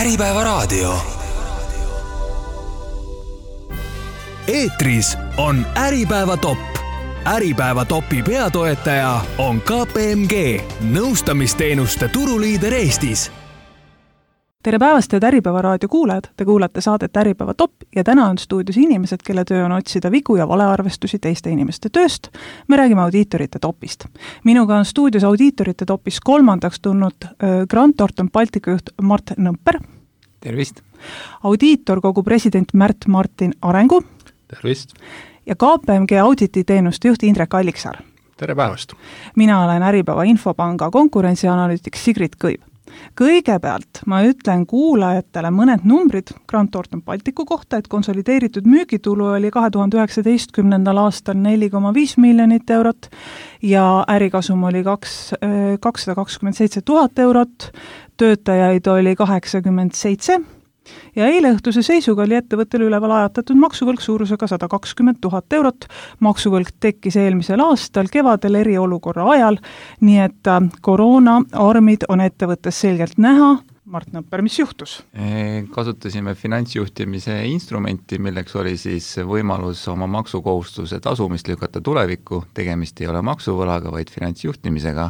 Äripäevaraadio. Eetris on Äripäeva top. Äripäeva topi peatoetaja on KPMG, nõustamisteenuste turuliider Eestis. Tere päevast, head Äripäevaraadio kuulajad! Te kuulate saadet Äripäeva top ja täna on stuudios inimesed, kelle töö on otsida vigu ja valearvestusi teiste inimeste tööst. Me räägime audiitorite topist. Minuga on stuudios audiitorite topis kolmandaks tulnud Grant Thornton Balticu juht Mart Nõmper. Tervist! Audiitorkogu president Märt Martin Arengu. Tervist! Ja KPMG audititeenuste juht Indrek Alliksaar. Tere päevast! Mina olen Äripäeva Infopanga konkurentsianalüütik Sigrid Kõiv. Kõigepealt ma ütlen kuulajatele mõned numbrid Grant Thornton Balticu kohta, et konsolideeritud müügitulu oli 2019. aastal 4,5 miljonit eurot ja ärikasum oli 227 000 eurot, töötajaid oli 87 ja eileõhtuse seisuga oli ettevõttel üleval ajatatud maksuvõlg suurusega 120 000 eurot. Maksuvõlg tekkis eelmisel aastal kevadel eriolukorra ajal, nii et koroonaarmid on ettevõttes selgelt näha. Mart Nõmper, mis juhtus? Kasutasime finantsjuhtimise instrumenti, milleks oli siis võimalus oma maksukohustuse tasumist lükata tulevikku. Tegemist ei ole maksuvõlaga, vaid finantsjuhtimisega.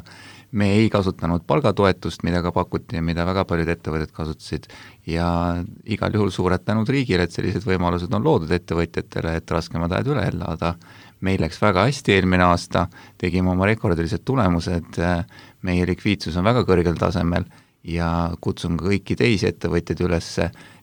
Me ei kasutanud palgatoetust, mida ka pakuti ja mida väga paljud ettevõtted kasutasid ja igal juhul suured tänud riigile, et sellised võimalused on loodud ettevõtjatele, et raskemad ajad üle elada. Meil läks väga hästi eelmine aasta, tegime oma rekordilised tulemused, meie likviidsus on väga kõrgel tasemel ja kutsun kõiki teisi ettevõtjaid üles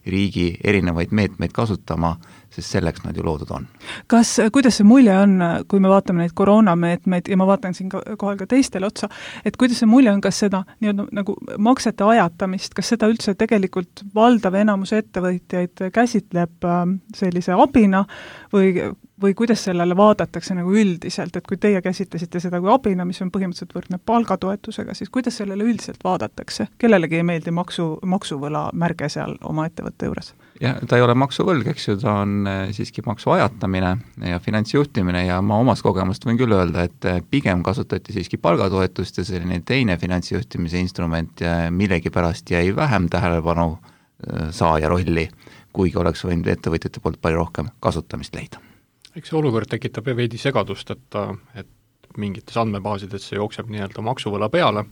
riigi erinevaid meetmeid kasutama, sest selleks nad ju loodud on. Kuidas see mulje on, kui me vaatame neid koroonameetmeid ja ma vaatan siin kohal ka teistele otsa, et kuidas see mulje on, kas seda nagu maksete ajatamist, kas seda üldse tegelikult valdav enamus ettevõtjaid käsitleb sellise abina või kuidas sellele vaadatakse nagu üldiselt, et kui teie käsitlesite seda kui abina, mis on põhimõtteliselt võrdne palgatoetusega, siis kuidas sellele üldiselt vaadatakse? Kellelegi ei meeldi maksuvõla märge seal oma ettevõtte juures? Ja ta ei ole maksuvõlg, eks ju, ta on siiski maksu ajatamine ja finantsjuhtimine ja ma omast kogemust võin küll öelda, et pigem kasutati siiski palgatoetust ja selline teine finantsjuhtimise instrument millegipärast jäi vähem tähelepanu saaja rolli, kuigi oleks võinud ettevõtjate poolt palju rohkem kasutamist leida. Eks see olukord tekitab veidi segadust, et mingites andmebaasides see jookseb nii-öelda maksuvõla peale.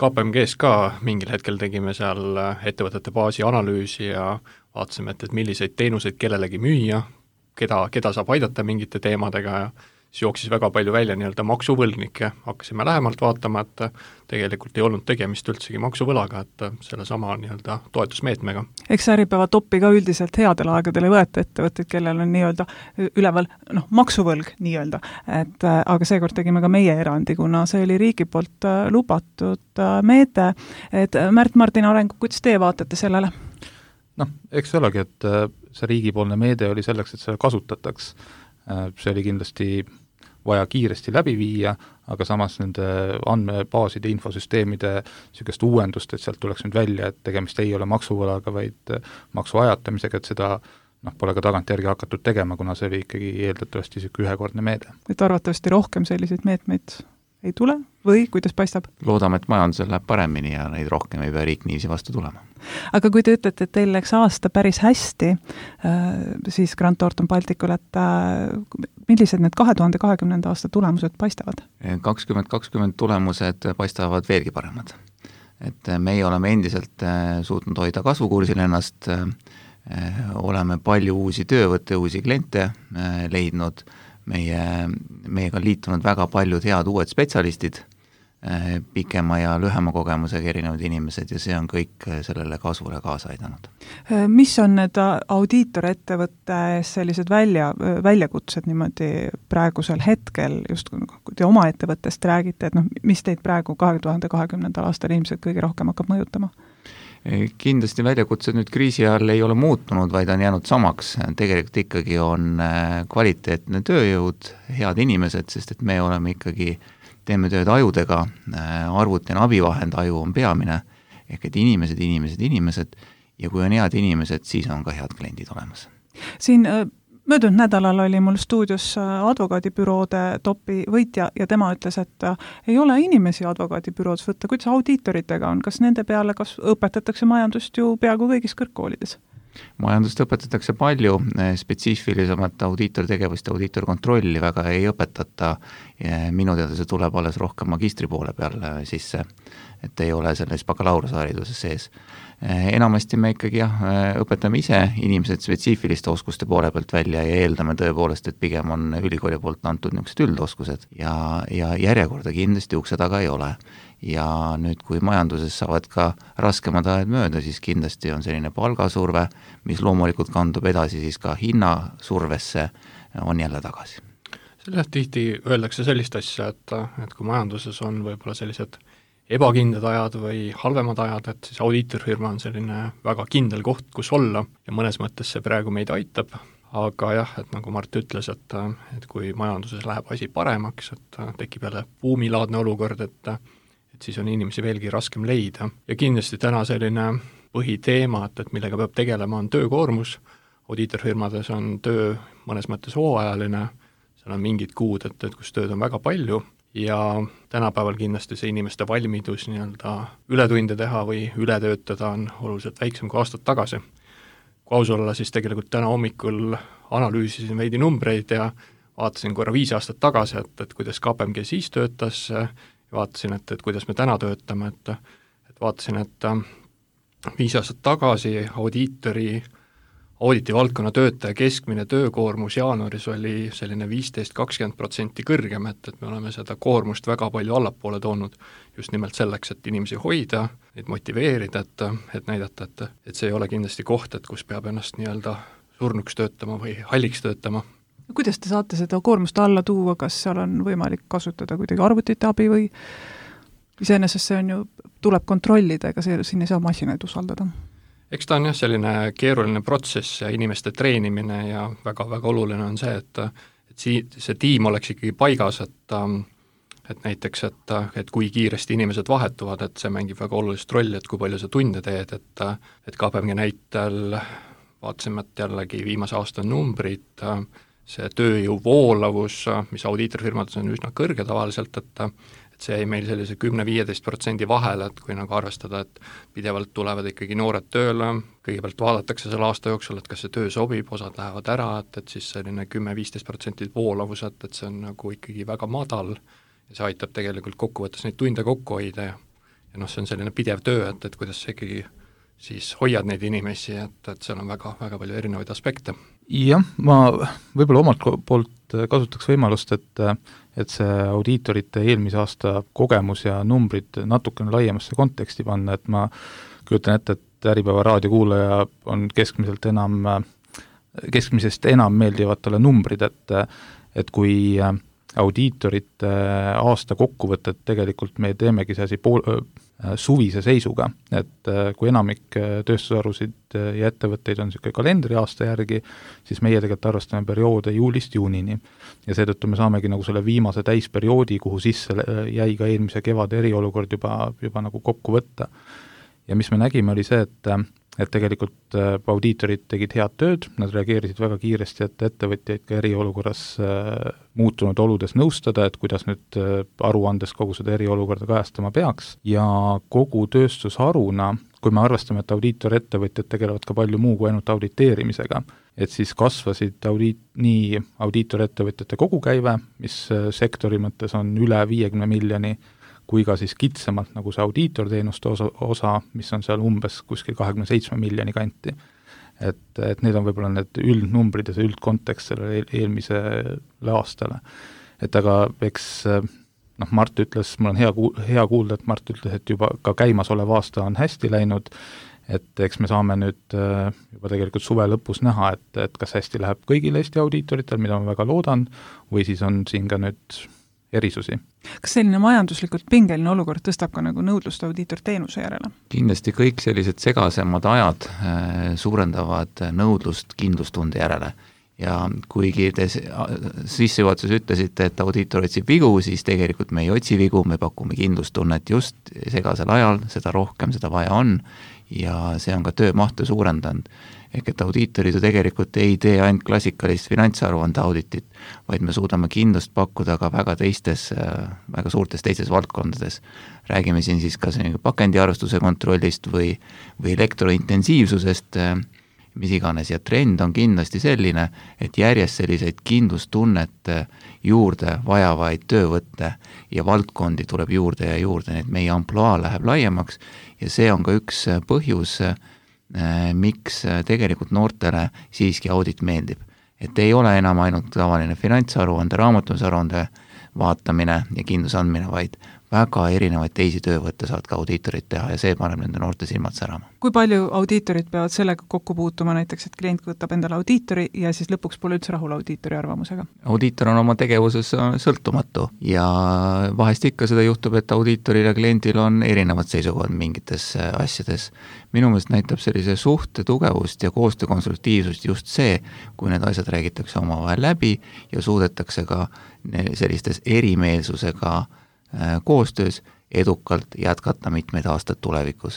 KPMG-s ka mingil hetkel tegime seal ettevõtete baasi analüüsi ja vaatasime, et milliseid teenuseid kellelegi müüa, keda saab aidata mingite teemadega ja siis jooksis väga palju välja nii-öelda maksuvõlgnikke. Hakkasime lähemalt vaatama, et tegelikult ei olnud tegemist üldsegi maksuvõlaga, et selle sama nii-öelda toetusmeetmega. Eks Äripäeva topi ka üldiselt headel aegadel ei võeta ettevõtteid, kellel on nii-öelda üleval maksuvõlg nii-öelda, aga seekord tegime ka meie erandi, kuna see oli riigi poolt lubatud meede. Et Märt Martin Arengu, kuidas teie vaatate sellele? Eks see olegi, et see riigipoolne meede oli selleks, et seda kasutataks. See oli kindlasti vaja kiiresti läbi viia, aga samas nende andmebaaside, infosüsteemide niisugust uuendust, et sealt tuleks nüüd välja, et tegemist ei ole maksuvõlaga, vaid maksu ajatamisega, et seda pole ka tagantjärgi hakatud tegema, kuna see oli ikkagi eeldatavasti ühekordne meede. Et arvatavasti rohkem selliseid meetmeid ei tule või kuidas paistab? Loodame, et majandusel läheb paremini ja neid rohkem ei pea riik niiviisi vastu tulema. Aga kui te ütlete, et teil läks aasta päris hästi, siis Grant Thornton Balticul, et millised need 2020. aasta tulemused paistavad? 2020 tulemused paistavad veelgi paremad. Et meie oleme endiselt suutnud hoida kasvukursil ennast, oleme palju uusi töövõtte, uusi kliente leidnud, meiega on liitunud väga paljud head uued spetsialistid, pikema ja lühema kogemusega erinevad inimesed ja see on kõik sellele kasvule kaasa aidanud. Mis on need audiitorettevõtte sellised väljakutsed niimoodi praegusel hetkel, just kui te oma ettevõttest räägite, et mis teid praegu 2020. aastal ilmselt kõige rohkem hakkab mõjutama? Kindlasti väljakutsed nüüd kriisi ajal ei ole muutunud, vaid on jäänud samaks. Tegelikult ikkagi on kvaliteetne tööjõud, head inimesed, sest et me oleme ikkagi, teeme tööd ajudega, arvuti on abivahend, aju on peamine, ehk et inimesed ja kui on head inimesed, siis on ka head kliendid olemas. Siin Möödunud nädalal oli mul stuudios advokaadibüroode topi võitja ja tema ütles, et ei ole inimesi advokaadibüroodes võtta, kuidas audiitoritega on, kas nende peale kas õpetatakse majandust ju peaaegu kõigis kõrgkoolides? Majandust õpetatakse palju, spetsiifilisemat audiitortegevust ja audiitorkontrolli väga ei õpetata, minu teada see tuleb alles rohkem magistri poole peal sisse, et ei ole selles bakalaureusehariduses sees. Enamasti me ikkagi õpetame ise inimesed spetsiifiliste oskuste poole pealt välja ja eeldame tõepoolest, et pigem on ülikooli poolt antud niisugused üldoskused ja järjekorda kindlasti ukse taga ei ole. Ja nüüd, kui majanduses saavad ka raskemad ajad mööda, siis kindlasti on selline palgasurve, mis loomulikult kandub edasi siis ka hinnasurvesse, on jälle tagasi. Sellest tihti öeldakse sellist asja, et kui majanduses on võib-olla sellised ebakindlad ajad või halvemad ajad, et siis audiitorfirma on selline väga kindel koht, kus olla ja mõnes mõttes see praegu meid aitab, aga jah, et nagu Mart ütles, et kui majanduses läheb asi paremaks, et tekib jälle buumilaadne olukord, et siis on inimesi veelgi raskem leida. Ja kindlasti täna selline põhiteema, et millega peab tegelema, on töökoormus. Audiitorfirmades on töö mõnes mõttes hooajaline, seal on mingid kuud, et kus tööd on väga palju ja tänapäeval kindlasti see inimeste valmidus nii-öelda ületunde teha või üle töötada on oluliselt väiksem kui aastad tagasi. Kui aus olla, siis tegelikult täna hommikul analüüsisin veidi numbreid ja vaatasin korra 5 aastat tagasi, et kuidas KPMG siis töötas, vaatasin, et kuidas me täna töötame, et vaatasin, et 5 aastat tagasi auditi valdkonna töötaja keskmine töökoormus jaanuaris oli selline 15-20% kõrgem, et me oleme seda koormust väga palju allapoole toonud just nimelt selleks, et inimesi hoida, neid motiveerida, et näidata, et see ei ole kindlasti koht, et kus peab ennast nii-öelda surnuks töötama või halliks töötama. Kuidas te saate seda koormust alla tuua, kas seal on võimalik kasutada kuidagi arvutite abi või iseenesest see on ju, tuleb kontrollida, ega siin ei saa masinaid usaldada? Eks ta on jah selline keeruline protsess ja inimeste treenimine ja väga-väga oluline on see, et see tiim oleks ikkagi paigas, et näiteks, et kui kiiresti inimesed vahetuvad, et see mängib väga olulist rolli, et kui palju sa tunde teed, et KPMG näitel vaatasime, et jällegi viimase aasta numbrid, see tööjõu voolavus, mis audiitorfirmades on üsna kõrge tavaliselt, et see jäi meil sellise 10-15% vahele, et kui nagu arvestada, et pidevalt tulevad ikkagi noored tööle, kõigepealt vaadatakse selle aasta jooksul, et kas see töö sobib, osad lähevad ära, et siis selline 10-15% voolavus, et see on nagu ikkagi väga madal ja see aitab tegelikult kokkuvõttes neid tunde kokku hoida ja see on selline pidev töö, et kuidas see ikkagi siis hoiad neid inimesi, et seal on väga palju erinevaid aspekte. Jah, ma võib-olla omalt poolt kasutaks võimalust, et see audiitorite eelmise aasta kogemus ja numbrid natukene laiemasse konteksti panna, et ma kujutan ette, et Äripäeva raadiokuulaja on keskmisest enam meeldivad talle numbrid, et kui audiitorite aasta kokkuvõtet tegelikult me teemegi see asi suvise seisuga, et kui enamik tööstusharusid ja ettevõtteid on niisugune kalendriaasta järgi, siis meie tegelikult arvestame perioode juulist juunini. Ja seetõttu me saamegi nagu selle viimase täisperioodi, kuhu sisse jäi ka eelmise kevade eriolukord juba nagu kokku võtta. Ja mis me nägime, oli see, et tegelikult audiitorid tegid head tööd, nad reageerisid väga kiiresti, et ettevõtjaid ka eriolukorras muutunud oludes nõustada, et kuidas nüüd aruandes kogu seda eriolukorda kajastama peaks ja kogu tööstusharuna, kui me arvestame, et audiitorettevõtjad tegelevad ka palju muu kui ainult auditeerimisega, et siis kasvasid nii audiitorettevõtjate kogukäive, mis sektori mõttes on üle 50 miljoni, kui ka siis kitsamalt nagu see audiitorteenuste osa, mis on seal umbes kuskil 27 miljoni kanti. Et need on võib-olla need üldnumbrid ja see üldkontekst sellele eelmisele aastale. Et aga eks Mart ütles, mul on hea kuulda, et Mart ütles, et juba ka käimasolev aasta on hästi läinud, et eks me saame nüüd juba tegelikult suve lõpus näha, et kas hästi läheb kõigil Eesti audiitoritel, mida ma väga loodan, või siis on siin ka nüüd erisusi. Kas selline majanduslikult pingeline olukord tõstab ka nagu nõudlust audiitorteenuse järele? Kindlasti kõik sellised segasemad ajad suurendavad nõudlust kindlustunde järele ja kuigi te sissejuhatuses ütlesite, et audiitor otsib vigu, siis tegelikult me ei otsi vigu, me pakume kindlustunnet just segasel ajal, seda rohkem seda vaja on ja see on ka töömahtu suurendanud. Ehk et audiitorid ju tegelikult ei tee ainult klassikalist finantsaruande auditit, vaid me suudame kindlust pakkuda ka väga suurtes teistes valdkondades. Räägime siin siis ka pakendiarvestuse kontrollist või elektrointensiivsusest, mis iganes, ja trend on kindlasti selline, et järjest selliseid kindlustunnet juurde vajavaid töövõtte ja valdkondi tuleb juurde ja juurde, nii et meie ampluaa läheb laiemaks ja see on ka üks põhjus, miks tegelikult noortele siiski audit meeldib. Et ei ole enam ainult tavaline finantsaruande, raamatumisaruande vaatamine ja kindluse andmine, vaid väga erinevaid teisi töövõtte saavad ka audiitorid teha ja see paneb nende noorte silmad särama. Kui palju audiitorid peavad sellega kokku puutuma näiteks, et klient võtab endale audiitori ja siis lõpuks pole üldse rahul audiitori arvamusega? Audiitor on oma tegevuses sõltumatu ja vahest ikka seda juhtub, et audiitoril ja kliendil on erinevad seisukohad mingites asjades. Minu meelest näitab sellise suhte tugevust ja koostöö konstruktiivsust just see, kui need asjad räägitakse omavahel läbi ja suudetakse ka sellistes erimeelsusega koostöös edukalt jätkata mitmeid aastaid tulevikus.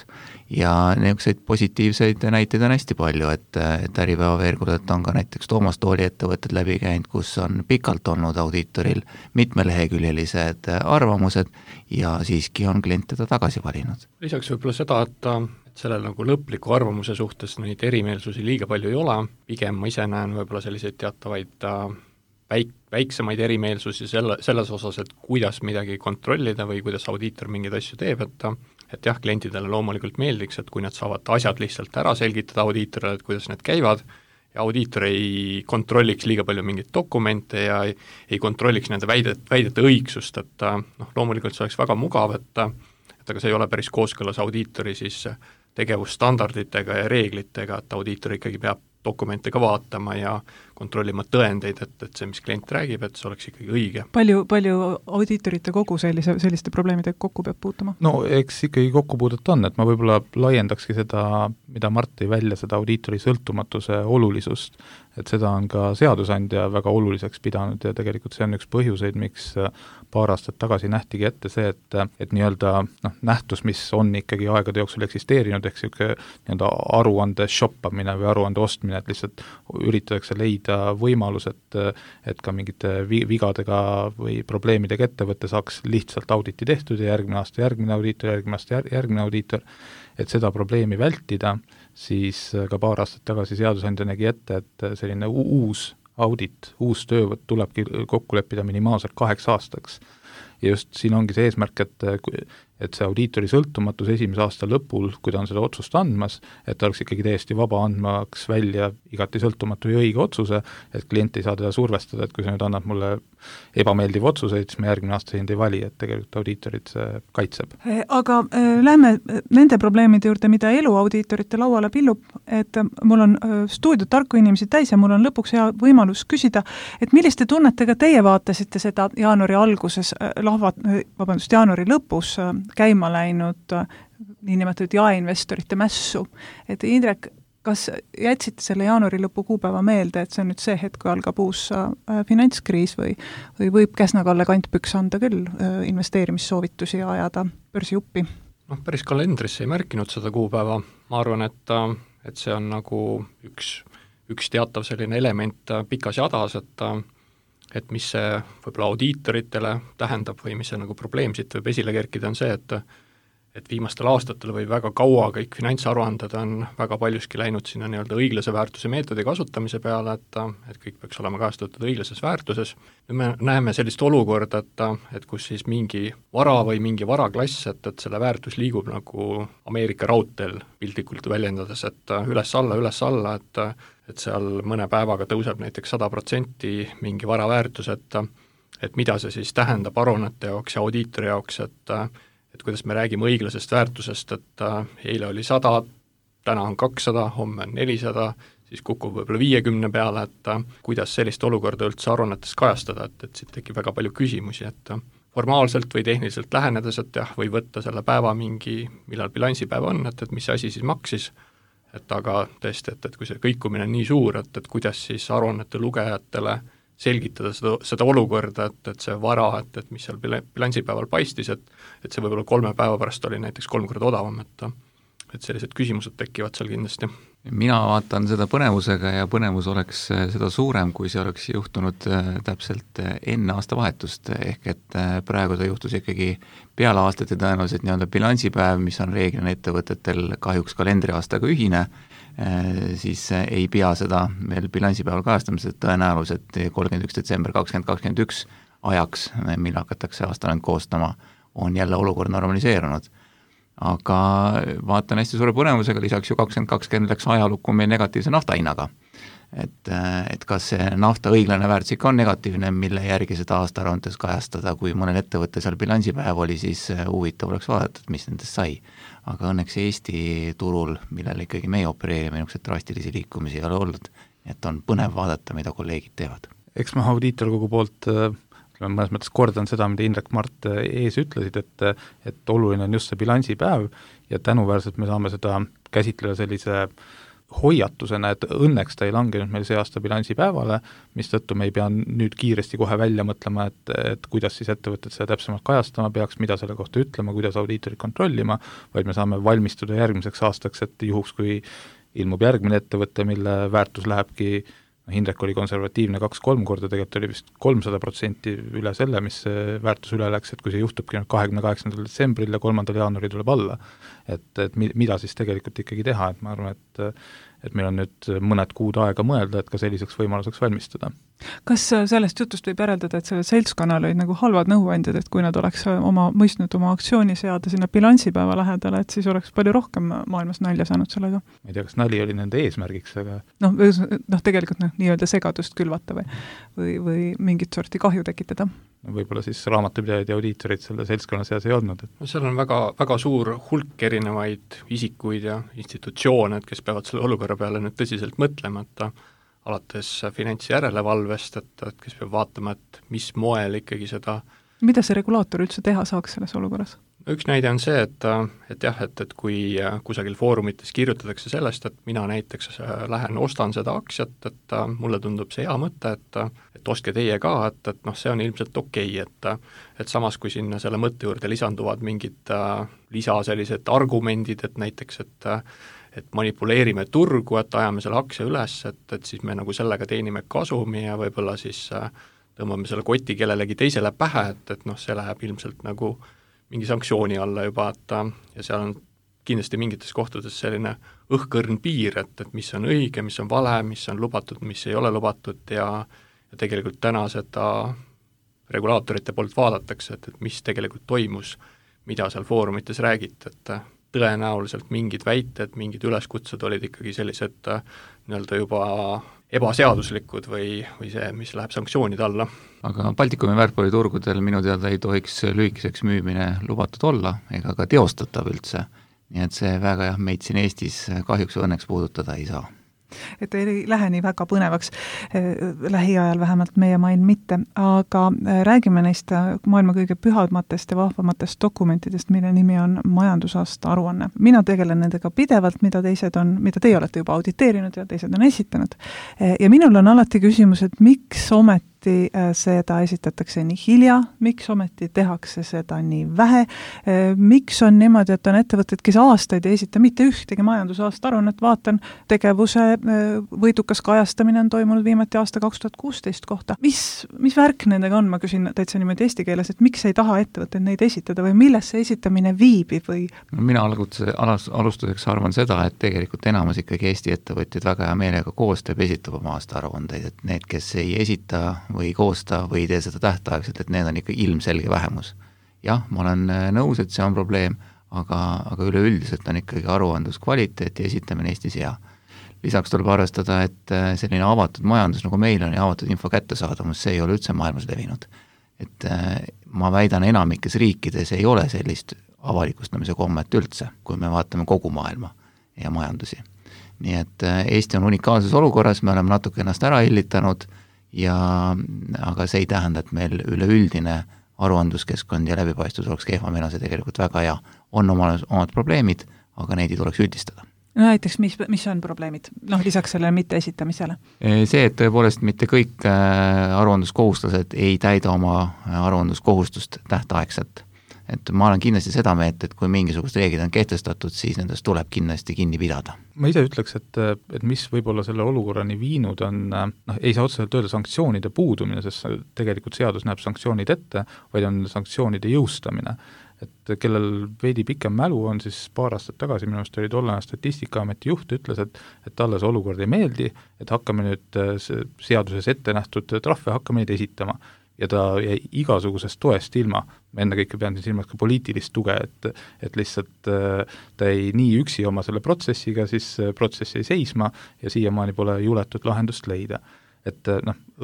Ja niisuguseid positiivseid näiteid on hästi palju, et Äripäeva veergudelt on ka näiteks Toomas Tooli ettevõtted läbi käinud, kus on pikalt olnud audiitoril mitmeleheküljelised arvamused ja siiski on klient teda tagasi valinud. Lisaks võib-olla seda, et sellel nagu lõpliku arvamuse suhtes neid erimeelsusi liiga palju ei ole, pigem ma ise näen võib-olla selliseid teatavaid väiksemaid erimeelsusi selles osas, et kuidas midagi kontrollida või kuidas audiitor mingeid asju teeb, et jah, klientidele loomulikult meeldiks, et kui nad saavad asjad lihtsalt ära selgitada audiitorile, et kuidas need käivad, ja audiitor ei kontrolliks liiga palju mingeid dokumente ja ei kontrolliks nende väidete õigsust, et loomulikult see oleks väga mugav, et aga see ei ole päris kooskõlas audiitori siis tegevusstandarditega ja reeglitega, et audiitor ikkagi peab dokumente ka vaatama ja kontrollima tõendeid, et see, mis klient räägib, et see oleks ikkagi õige. Palju audiitorite kogu selliste probleemidega kokku peab puutuma? No eks ikkagi kokkupuudet on, et ma võib-olla laiendakski seda, mida Mart tõi välja, seda audiitori sõltumatuse olulisust, et seda on ka seadusandja väga oluliseks pidanud ja tegelikult see on üks põhjuseid, miks paar aastat tagasi nähtigi ette see, et nii-öelda nähtus, mis on ikkagi aegade jooksul eksisteerinud, ehk nii-öelda aruande shoppamine või aruande ostmine, et lihtsalt üritatakse leida võimalus, et ka mingite vigadega või probleemidega ettevõtte saaks lihtsalt auditi tehtud ja järgmine aasta järgmine audiitor, järgmine aasta järgmine audiitor, et seda probleemi vältida, siis ka paar aastat tagasi seadusandja nägi ette, et selline uus audit, uus töövõtt tulebki kokku leppida minimaalselt 8 aastaks. Ja just siin ongi see eesmärk, et see audiitori sõltumatus esimese aasta lõpul, kui ta on seda otsust andmas, et ta oleks ikkagi täiesti vaba andmaks välja igati sõltumatu ja õige otsuse, et klient ei saa teda survestada, et kui sa nüüd annad mulle ebameeldiv otsuseid, siis me järgmine aasta sind ei vali, et tegelikult audiitorid see kaitseb. Aga lähme nende probleemide juurde, mida elu audiitorite lauale pillub, et mul on stuudiot tarku inimesi täis ja mul on lõpuks hea võimalus küsida, et milliste tunnetega teie vaatasite seda jaanuari alguses, jaanuari lõpus käima läinud niinimetatud jaeinvestorite mässu. Et Indrek, kas jätsite selle jaanuari lõpu kuupäeva meelde, et see on nüüd see hetk, kui algab uus finantskriis või võib Käsna-Kalle Kantpüks anda küll investeerimissoovitusi ja ajada börsijuppi? Päris kalendrisse ei märkinud seda kuupäeva. Ma arvan, et see on nagu üks teatav selline element pikas jadas, et mis see võib-olla audiitoritele tähendab või mis see nagu probleem siit võib esile kerkida, on see, et viimastel aastatel või väga kaua kõik finantsaruanded on väga paljuski läinud sinna nii-öelda õiglase väärtuse meetodi kasutamise peale, et kõik peaks olema kajastatud õiglases väärtuses. Nüüd me näeme sellist olukorda, et kus siis mingi vara või mingi varaklass, et selle väärtus liigub nagu Ameerika raudteel piltlikult väljendades, et üles-alla, et seal mõne päevaga tõuseb näiteks 100% mingi vara väärtus, et mida see siis tähendab aruannete jaoks ja audiitori jaoks, et kuidas me räägime õiglasest väärtusest, et eile oli 100, täna on 200, homme on 400, siis kukub võib-olla 50 peale, et kuidas sellist olukorda üldse aruannetes kajastada, et siit tekib väga palju küsimusi, et formaalselt või tehniliselt lähenedes, et jah, või võtta selle päeva millal bilansipäev on, et mis asi siis maksis, et aga tõesti, et kui see kõikumine on nii suur, et kuidas siis aruannete lugejatele selgitada seda olukorda, et see vara, et mis seal bilansipäeval paistis, et see võib-olla 3 päeva pärast oli näiteks 3 korda odavam, et sellised küsimused tekivad seal kindlasti. Mina vaatan seda põnevusega ja põnevus oleks seda suurem, kui see oleks juhtunud täpselt enne aastavahetust, ehk et praegu ta juhtus ikkagi peale aastat ja tõenäoliselt nii-öelda bilansipäev, mis on reeglina ettevõtetel kahjuks kalendriaastaga ühine, siis ei pea seda veel bilansipäeval kajastamised tõenäoliselt 31. detsember 2021 ajaks, mille hakatakse aastaland koostama, on jälle olukord normaliseerunud. Aga vaatan hästi suure põnevusega, lisaks ju 2020 läks ajalukku meil negatiivse naftahinnaga. Et kas see nafta õiglane väärtus ikka on negatiivne, mille järgi seda aastaaruandes kajastada, kui mõnel ettevõtte seal bilansipäev oli, siis huvitav oleks vaadata, mis nendest sai. Aga õnneks Eesti turul, millele ikkagi meie opereerime, niisugused drastilisi liikumisi ei ole olnud, et on põnev vaadata, mida kolleegid teevad. Eks ma audiitorkogu poolt mõnes mõttes kordan seda, mida Indrek Mart ees ütlesid, et oluline on just see bilansipäev ja tänuväärselt me saame seda käsitleda sellise hoiatusena, et õnneks ta ei langenud meil see aasta bilansipäevale, mistõttu me ei pea nüüd kiiresti kohe välja mõtlema, et kuidas siis ettevõtted seda täpsemalt kajastama peaks, mida selle kohta ütlema, kuidas audiitorid kontrollima, vaid me saame valmistuda järgmiseks aastaks, et juhuks, kui ilmub järgmine ettevõte, mille väärtus lähebki Indrek oli konservatiivne 2-3 korda, tegelikult oli vist 300% üle selle, mis väärtus üle läks, et kui see juhtubki 28. detsembril ja 3. jaanuaril tuleb alla, et mida siis tegelikult ikkagi teha, et ma arvan, et meil on nüüd mõned kuud aega mõelda, et ka selliseks võimaluseks valmistuda. Kas sellest jutust võib järeldada, et sellel seltskonnal olid nagu halvad nõuandjad, et kui nad oleks mõistnud oma aktsiooni seada sinna bilansipäeva lähedale, et siis oleks palju rohkem maailmas nalja saanud sellega? Ma ei tea, kas nali oli nende eesmärgiks, aga tegelikult nii-öelda segadust külvata või mingit sorti kahju tekitada. Võib-olla siis raamatupidajad ja audiitorid selle seltskonna seas ei olnud. No seal on väga, väga suur hulk erinevaid isikuid ja institutsioone, kes peavad selle olukorra peale nüüd tõsiselt mõtlema, et alates finantsjärelevalvest, et kes peab vaatama, et mis moel ikkagi seda. Mida see regulaator üldse teha saaks selles olukorras? Üks näide on see, et kui kusagil foorumites kirjutatakse sellest, et mina näiteks lähen ostan seda aktsiat, et mulle tundub see hea mõte, et ostke teie ka, et see on ilmselt okei, et samas kui sinna selle mõtte juurde lisanduvad mingid lisa sellised argumendid, et näiteks, et manipuleerime turgu, et ajame selle aktsia üles, et siis me nagu sellega teenime kasumi ja võib-olla siis tõmbame selle koti kellelegi teisele pähe, et see läheb ilmselt nagu mingi sanktsiooni alla juba, ja seal on kindlasti mingites kohtades selline õhkõrn piir, et mis on õige, mis on vale, mis on lubatud, mis ei ole lubatud ja tegelikult täna seda regulaatorite poolt vaadatakse, et mis tegelikult toimus, mida seal foorumites räägiti, et tõenäoliselt mingid väited, mingid üleskutsed olid ikkagi sellised nii-öelda juba ebaseaduslikud või see, mis läheb sanktsioonide alla. Aga Baltikumi väärtpaberiturgudel minu teada ei tohiks lühikeseks müümine lubatud olla ega ka teostatav üldse, nii et see väga meid siin Eestis kahjuks õnneks puudutada ei saa. Et ei lähe nii väga põnevaks, lähiajal vähemalt meie maailm mitte, aga räägime neist maailma kõige pühamatest ja vahvamatest dokumentidest, mille nimi on majandusaasta aruanne. Mina tegelen nendega pidevalt, mida teie olete juba auditeerinud ja teised on esitanud. Ja minul on alati küsimus, et miks ometi seda esitatakse nii hilja, miks ometi tehakse seda nii vähe, miks on niimoodi, et on ettevõtted, kes aastaid ei esita mitte ühtegi majandusaasta aruannet, vaatan tegevuse võidukas kajastamine on toimunud viimati aasta 2016 kohta. Mis värk nendega on, ma küsin täitsa niimoodi eesti keeles, et miks ei taha ettevõtted neid esitada või milles see esitamine viibib või? Mina alustuseks arvan seda, et tegelikult enamus ikkagi Eesti ettevõtjad väga hea meelega koostööb, esitab oma aasta aruandeid, et need, kes ei esita või koosta või tee seda tähtaegselt, et need on ikka ilmselge vähemus. Jah, ma olen nõus, et see on probleem, aga üleüldiselt on ikkagi aruandluskvaliteet ja esitamine Eestis hea. Lisaks tuleb arvestada, et selline avatud majandus, nagu meil on ja avatud info kättesaadamus, see ei ole üldse maailmas levinud. Et ma väidan, enamikes riikides ei ole sellist avalikustamise kommet üldse, kui me vaatame kogu maailma ja majandusi. Nii et Eesti on unikaalses olukorras, me oleme natuke ennast ära hillitanud, aga see ei tähenda, et meil üleüldine aruandluskeskkond ja läbipaistvus oleks kehva, meil on see tegelikult väga hea. On omad probleemid, aga neid ei tuleks üldistada. No näiteks, mis on probleemid, lisaks sellele mitte esitamisele? See, et tõepoolest mitte kõik aruandluskohustused ei täida oma aruandluskohustust tähtaegselt. Et ma olen kindlasti seda meelt, et kui mingisugused reeglid on kehtestatud, siis nendest tuleb kindlasti kinni pidada. Ma ise ütleks, et mis võib-olla selle olukorrani viinud on, ei saa otseselt öelda sanktsioonide puudumine, sest tegelikult seadus näeb sanktsioonid ette, vaid on sanktsioonide jõustamine. Et kellel veidi pikem mälu on, siis paar aastat tagasi minu arust oli tollane Statistikaameti juht, ütles, et talle see olukord ei meeldi, et hakkame nüüd seaduses ette nähtud trahve, hakkame neid esitama. Ja ta jäi igasugusest toest ilma, ma ennekõike pean silmas ka poliitilist tuge, et lihtsalt ta ei nii üksi oma selle protsessiga, siis protsess jäi seisma ja siiamaani pole juletud lahendust leida. Et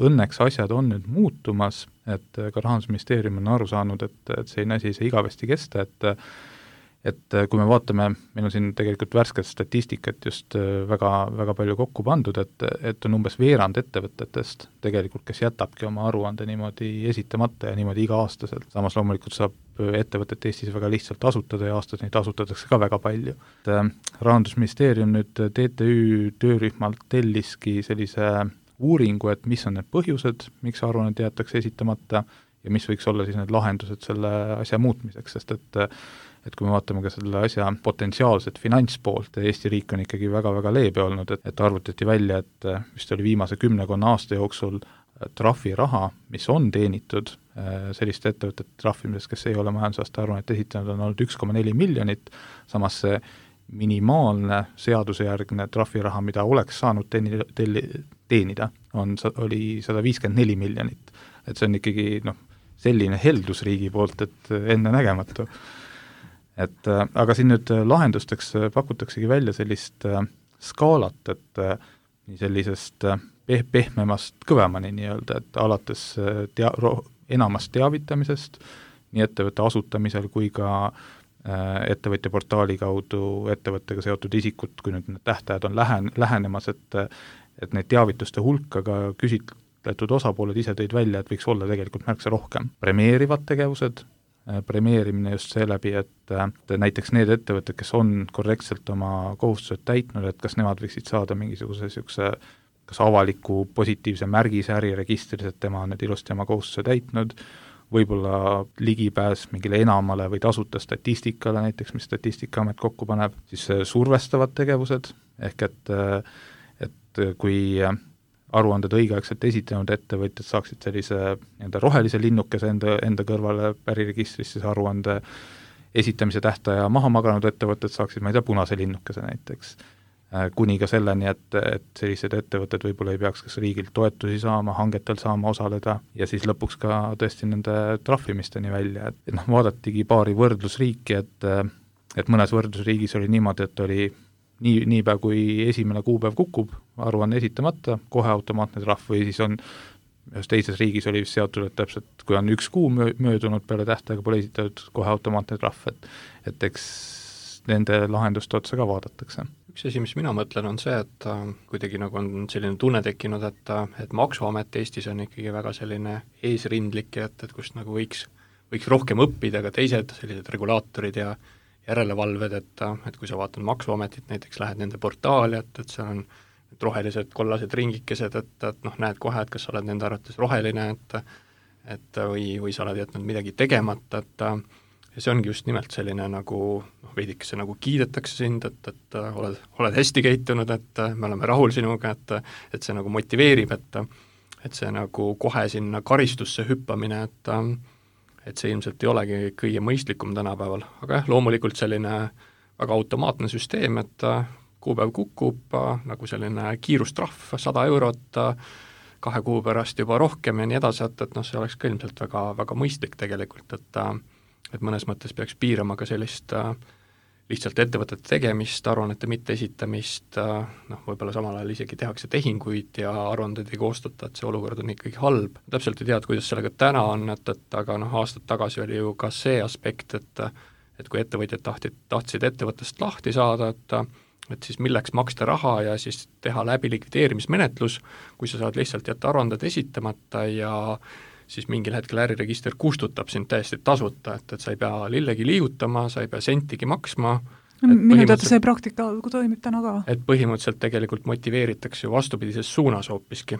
õnneks asjad on nüüd muutumas, et ka Rahandusministeerium on aru saanud, et selline asi ei saa igavesti kesta, et kui me vaatame, meil on siin tegelikult värsket statistikat just väga, väga palju kokku pandud, et on umbes veerand ettevõtetest tegelikult, kes jätabki oma aruande niimoodi esitamata ja niimoodi iga-aastaselt. Samas loomulikult saab ettevõtet Eestis väga lihtsalt asutada ja aastas neid asutatakse ka väga palju. Rahandusministeerium nüüd TTÜ töörühmalt telliski sellise uuringu, et mis on need põhjused, miks aruannet jäetakse esitamata ja mis võiks olla siis need lahendused selle asja muutmiseks, sest et kui me vaatame ka selle asja potentsiaalset finantspoolt, Eesti riik on ikkagi väga-väga leebe olnud, et arvutati välja, et vist oli viimase 10 aasta jooksul trahviraha, mis on teenitud selliste ettevõtete trahvimises, kes ei ole majandusaasta aruannet esitanud, on olnud 1,4 miljonit, samas see minimaalne seadusejärgne trahviraha, mida oleks saanud teenida, oli 154 miljonit. Et see on ikkagi selline heldus riigi poolt, et enne nägematu. Aga siin nüüd lahendusteks pakutaksegi välja sellist skaalat, et nii sellisest pehmemast kõvemani nii-öelda, et alates enamast teavitamisest, nii ettevõtte asutamisel kui ka ettevõtja portaali kaudu ettevõttega seotud isikud, kui nüüd need tähtajad on lähenemas, et neid teavituste hulka ka küsitletud osapooled ise tõid välja, et võiks olla tegelikult märksa rohkem. Premeerivad tegevused, premeerimine just seeläbi, et näiteks need ettevõtted, kes on korrektselt oma kohustused täitnud, et kas nemad võiksid saada mingisuguse niisuguse kas avaliku positiivse märgise äriregistris, et tema on need ilusti oma kohustuse täitnud, võib-olla ligipääs mingile enamale või tasuta statistikale näiteks, mis Statistikaamet kokku paneb, siis survestavad tegevused, ehk et kui aruanded õigeaegselt esitanud ettevõtjad saaksid sellise rohelise linnukese enda kõrvale äriregistris, siis aruande esitamise tähtaja maha maganud ettevõtted saaksid, ma ei tea, punase linnukese näiteks. Kuni ka selleni, et sellised ettevõtted võib-olla ei peaks kas riigilt toetusi saama, hangetel saama osaleda ja siis lõpuks ka tõesti nende trahvimisteni välja. Et vaadatigi paari võrdlusriiki, et mõnes võrdlusriigis oli niimoodi, et oli niipea kui esimene kuupäev kukub, aruanne esitamata, kohe automaatne trahv või siis on ühes teises riigis oli vist seotud, et täpselt kui on 1 kuu möödunud peale tähtaega pole esitatud kohe automaatne trahv, et eks nende lahenduste otsa ka vaadatakse. Üks asi, mis mina mõtlen, on see, et kuidagi on selline tunne tekkinud, et Maksuamet Eestis on ikkagi väga selline eesrindlik ja et kust võiks rohkem õppida ka teised sellised regulaatorid ja järelevalved, et kui sa vaatad Maksuametit, näiteks lähed nende portaali, et seal on rohelised kollased ringikesed, et näed kohe, et kas sa oled nende arvates roheline, või sa oled jätnud midagi tegemata, ja see ongi just nimelt selline veidikese kiidetakse sind, et oled hästi käitunud, et me oleme rahul sinuga, et see motiveerib, et see kohe sinna karistusse hüppamine, et see ilmselt ei olegi kõige mõistlikum tänapäeval, aga jah, loomulikult selline väga automaatne süsteem, et kuupäev kukub, selline kiirustrahv, 100 eurot, 2 kuu pärast juba rohkem ja nii edasi, et see oleks ka ilmselt väga, väga mõistlik tegelikult, et mõnes mõttes peaks piirama ka sellist lihtsalt ettevõtete tegemist, aruannete mitte esitamist, võib-olla samal ajal isegi tehakse tehinguid ja aruandeid ei koostata, et see olukord on ikkagi halb. Täpselt ei tea, kuidas sellega täna on, aga aastad tagasi oli ju ka see aspekt, et kui ettevõtjad tahtsid ettevõttest lahti saada, et siis milleks maksta raha ja siis teha läbi likvideerimismenetlus, kui sa saad lihtsalt jätta aruanded esitamata ja siis mingil hetkel äriregister kustutab sind täiesti tasuta, et sa ei pea lillegi liigutama, sa ei pea sentigi maksma, minu teada see praktika toimib täna ka. Et põhimõtteliselt tegelikult motiveeritakse ju vastupidises suunas hoopiski.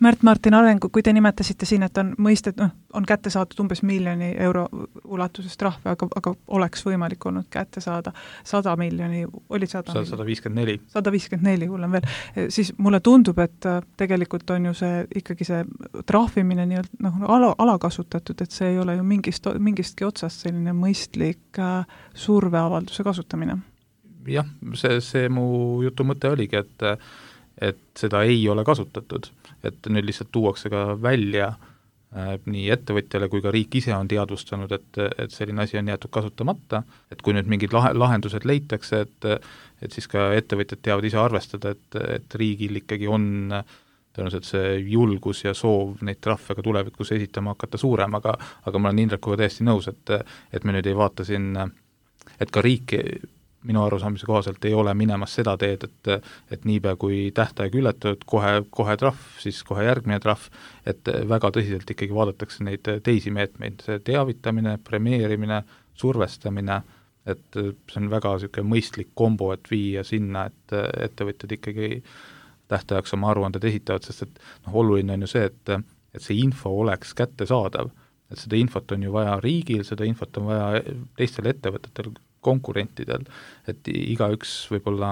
Märt-Martin Arengu, kui te nimetasite siin, et on mõistet, on kätte saadud umbes 1 miljoni euro ulatuses trahve, aga oleks võimalik olnud kätte saada 100 miljoni, oli 154. 154, hullem veel. Siis mulle tundub, et tegelikult on ju see ikkagi see trahvimine alakasutatud, et see ei ole ju mingistki otsast selline mõistlik surveavalduse kasutamine. Jah, see mu jutu mõte oligi, et seda ei ole kasutatud, et nüüd lihtsalt tuuakse ka välja nii ettevõtjale kui ka riik ise on teadvustanud, et selline asi on jäetud kasutamata, et kui nüüd mingid lahendused leitakse, et siis ka ettevõtjad teavad ise arvestada, et riigil ikkagi on tõenäoliselt see julgus ja soov neid trahve ka tulevikus esitama hakata suurem, aga ma olen Indrekuga täiesti nõus, et me nüüd ei vaata siin, et ka riik minu arusaamise kohaselt ei ole minemas seda teed, et niipea kui tähtaeg ületatud, kohe trahv, siis kohe järgmine trahv, et väga tõsiselt ikkagi vaadatakse neid teisi meetmeid, see teavitamine, premeerimine, survestamine, et see on väga niisugune mõistlik kombo, et viia sinna, et ettevõtjad ikkagi tähtajaks oma aruanded esitavad, sest et oluline on ju see, et see info oleks kättesaadav, et seda infot on ju vaja riigil, seda infot on vaja teistel ettevõtetel, konkurentidel, et igaüks võib-olla